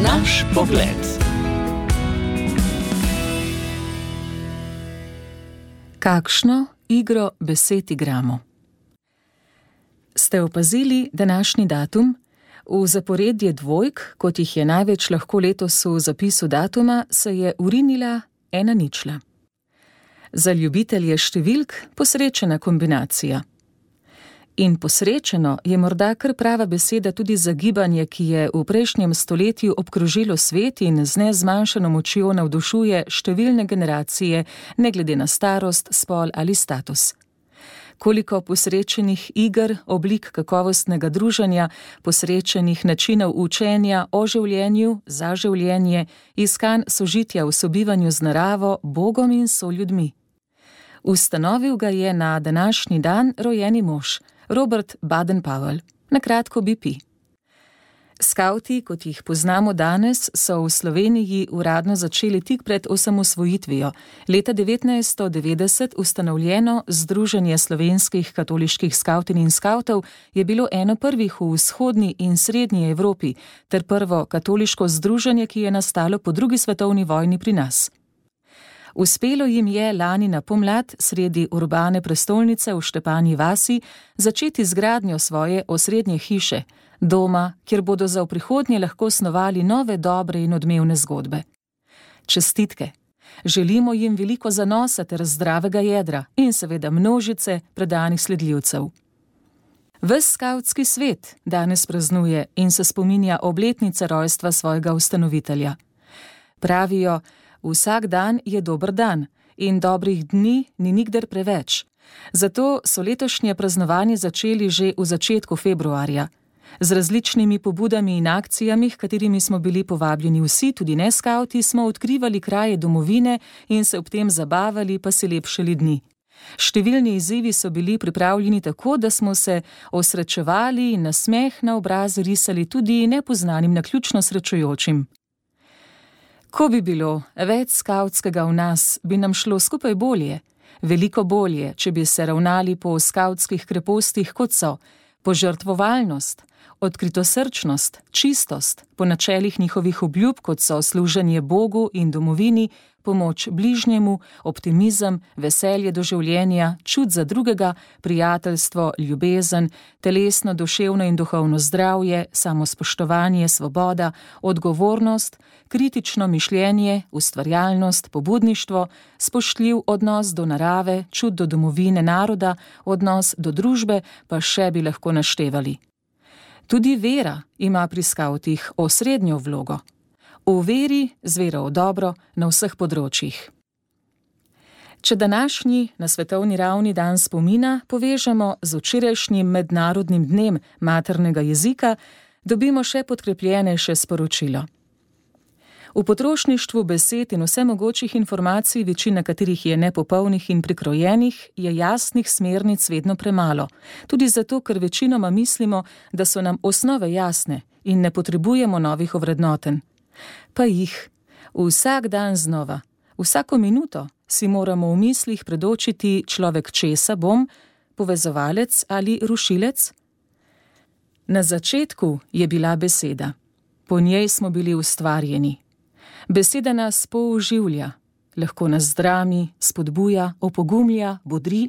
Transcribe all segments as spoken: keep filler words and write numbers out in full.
Naš pogled. Kakšno igro besed igramo? Ste opazili današnji datum? V zaporedje dvojk, kot jih je največ lahko letos v zapisu datuma, se je urinila ena ničla. Za ljubitelje številk posrečena kombinacija. In posrečeno je morda kar prava beseda tudi za gibanje, ki je v prejšnjem stoletju obkrožilo svet in z nezmanjšano močjo navdušuje številne generacije, ne glede na starost, spol ali status. Koliko posrečenih iger, oblik kakovostnega druženja, posrečenih načinov učenja o življenju, za življenje, iskanj sožitja v sobivanju z naravo, Bogom in soljudmi. Ustanovil ga je na današnji dan rojeni mož, Robert Baden-Powell, na kratko B P. Skavti, kot jih poznamo danes, so v Sloveniji uradno začeli tik pred osamosvojitvijo. Leta devetnajststo devetdeset ustanovljeno Združenje slovenskih katoliških skavtin in skavtov je bilo eno prvih v vzhodni in srednji Evropi ter prvo katoliško združenje, ki je nastalo po drugi svetovni vojni pri nas. Uspelo jim je lani na pomlad sredi urbane prestolnice v Štepanji vasi začeti z gradnjo svoje osrednje hiše, doma, kjer bodo za v prihodnje lahko snovali nove dobre in odmevne zgodbe. Čestitke! Želimo jim veliko zanosa ter zdravega jedra in seveda množice predanih sledljivcev. Ves skavtski svet danes praznuje in se spominja obletnice rojstva svojega ustanovitelja. Pravijo, vsak dan je dober dan in dobrih dni ni nikdar preveč. Zato so letošnje praznovanje začeli že v začetku februarja. Z različnimi pobudami in akcijami, katerimi smo bili povabljeni vsi, tudi ne skavti, smo odkrivali kraje domovine in se ob tem zabavali pa si lepšali dni. Številni izzivi so bili pripravljeni tako, da smo se osrečevali in nasmeh na obraz risali tudi nepoznanim naključno srečujočim. Ko bi bilo več skavtskega v nas, bi nam šlo skupaj bolje, veliko bolje, če bi se ravnali po skavtskih krepostih, kot so požrtvovalnost, odkritosrčnost, čistost, po načelih njihovih obljub, kot so služenje Bogu in domovini, pomoč bližnjemu, optimizem, veselje do življenja, čut za drugega, prijateljstvo, ljubezen, telesno, duševno in duhovno zdravje, samospoštovanje, svoboda, odgovornost, kritično mišljenje, ustvarjalnost, pobudništvo, spoštljiv odnos do narave, čut do domovine naroda, odnos do družbe, pa še bi lahko naštevali. Tudi vera ima pri skavtih osrednjo vlogo. V veri, z vero v dobro, na vseh področjih. Če današnji na svetovni ravni dan spomina povežemo z včerajšnjim mednarodnim dnem maternega jezika, dobimo še podkrepljenejše sporočilo. V potrošništvu besed in vsemogočih informacij, večina katerih je nepopolnih in prikrojenih, je jasnih smernic vedno premalo. Tudi zato, ker večinoma mislimo, da so nam osnove jasne in ne potrebujemo novih ovrednotenj. Pa jih. Vsak dan znova, vsako minuto si moramo v mislih predočiti človek česa bom, povezovalec ali rušilec. Na začetku je bila beseda. Po njej smo bili ustvarjeni. Beseda nas použivlja, lahko nas zdrami, spodbuja, opogumlja, bodri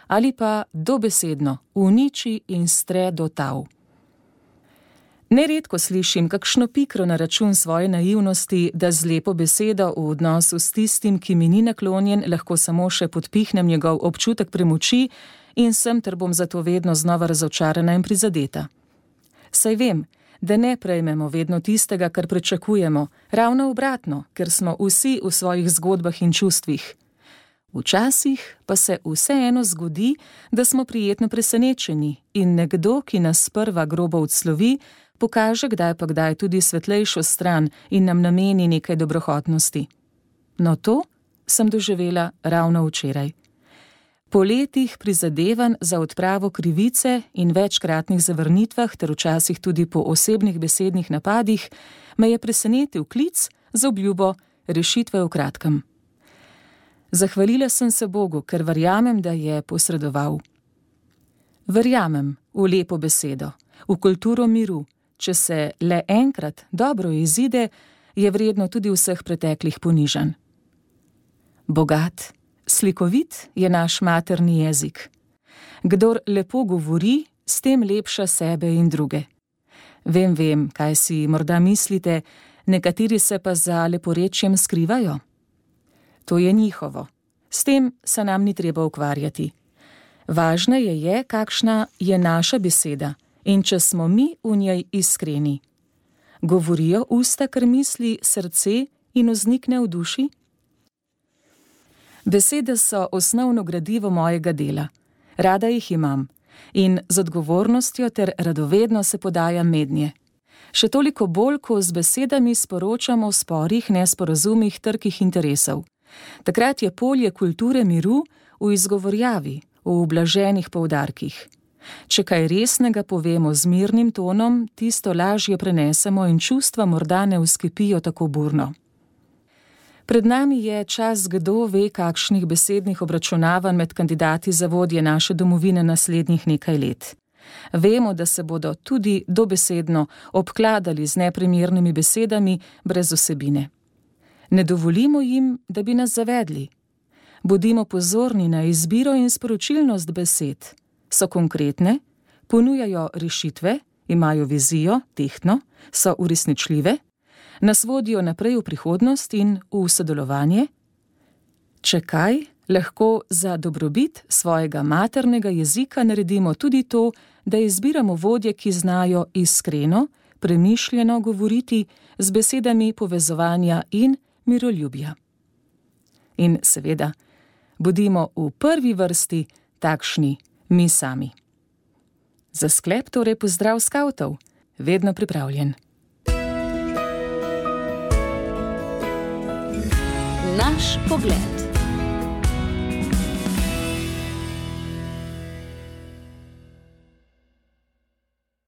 ali pa dobesedno uniči in stre do tav. Neredko slišim kakšno pikro na račun svoje naivnosti, da z lepo besedo v odnosu s tistim, ki mi ni naklonjen, lahko samo še podpihnem njegov občutek premoči in sem ter bom zato vedno znova razočarana in prizadeta. Saj vem, da ne prejmemo vedno tistega, kar pričakujemo, ravno obratno, ker smo vsi v svojih zgodbah in čustvih. Včasih pa se vseeno zgodi, da smo prijetno presenečeni in nekdo, ki nas sprva grobo odslovi, pokaže kdaj pa kdaj tudi svetlejšo stran in nam nameni nekaj dobrohotnosti. No to sem doživela ravno včeraj. Po letih prizadevanj za odpravo krivice in večkratnih zavrnitvah ter včasih tudi po osebnih besednih napadih, me je presenetil klic z obljubo rešitve v kratkem. Zahvalila sem se Bogu, ker verjamem, da je posredoval. Verjamem v lepo besedo, v kulturo miru, če se le enkrat dobro izide, je vredno tudi vseh preteklih ponižanj. Bogat, slikovit je naš materni jezik. Kdor lepo govori, s tem lepša sebe in druge. Vem, vem, kaj si morda mislite, nekateri se pa za leporečjem skrivajo. To je njihovo. S tem se nam ni treba ukvarjati. Važneje je, kakšna je naša beseda in če smo mi v njej iskreni. Govorijo usta, kar misli srce in vznikne v duši? Besede so osnovno gradivo mojega dela. Rada jih imam in z odgovornostjo ter radovedno se podajam mednje. Še toliko bolj, ko z besedami sporočamo o sporih, nesporazumih, trkih interesov. Takrat je polje kulture miru v izgovorjavi, v ublaženih poudarkih. Če kaj resnega povemo z mirnim tonom, tisto lažje prenesemo in čustva morda ne vzkipijo tako burno. Pred nami je čas kdo ve kakšnih besednih obračunavanj med kandidati za vodje naše domovine naslednjih nekaj let. Vemo, da se bodo tudi dobesedno obkladali z neprimernimi besedami brez vsebine. Ne dovolimo jim, da bi nas zavedli. Bodimo pozorni na izbiro in sporočilnost besed. So konkretne, ponujajo rešitve, imajo vizijo, tehtno, so uresničljive, nas vodijo naprej v prihodnost in v sodelovanje. Če kaj, lahko za dobrobit svojega maternega jezika naredimo tudi to, da izbiramo vodje, ki znajo iskreno, premišljeno govoriti z besedami povezovanja in miroljubja. In seveda, bodimo v prvi vrsti takšni mi sami. Za sklep torej pozdrav skavtov, vedno pripravljen. Naš pogled.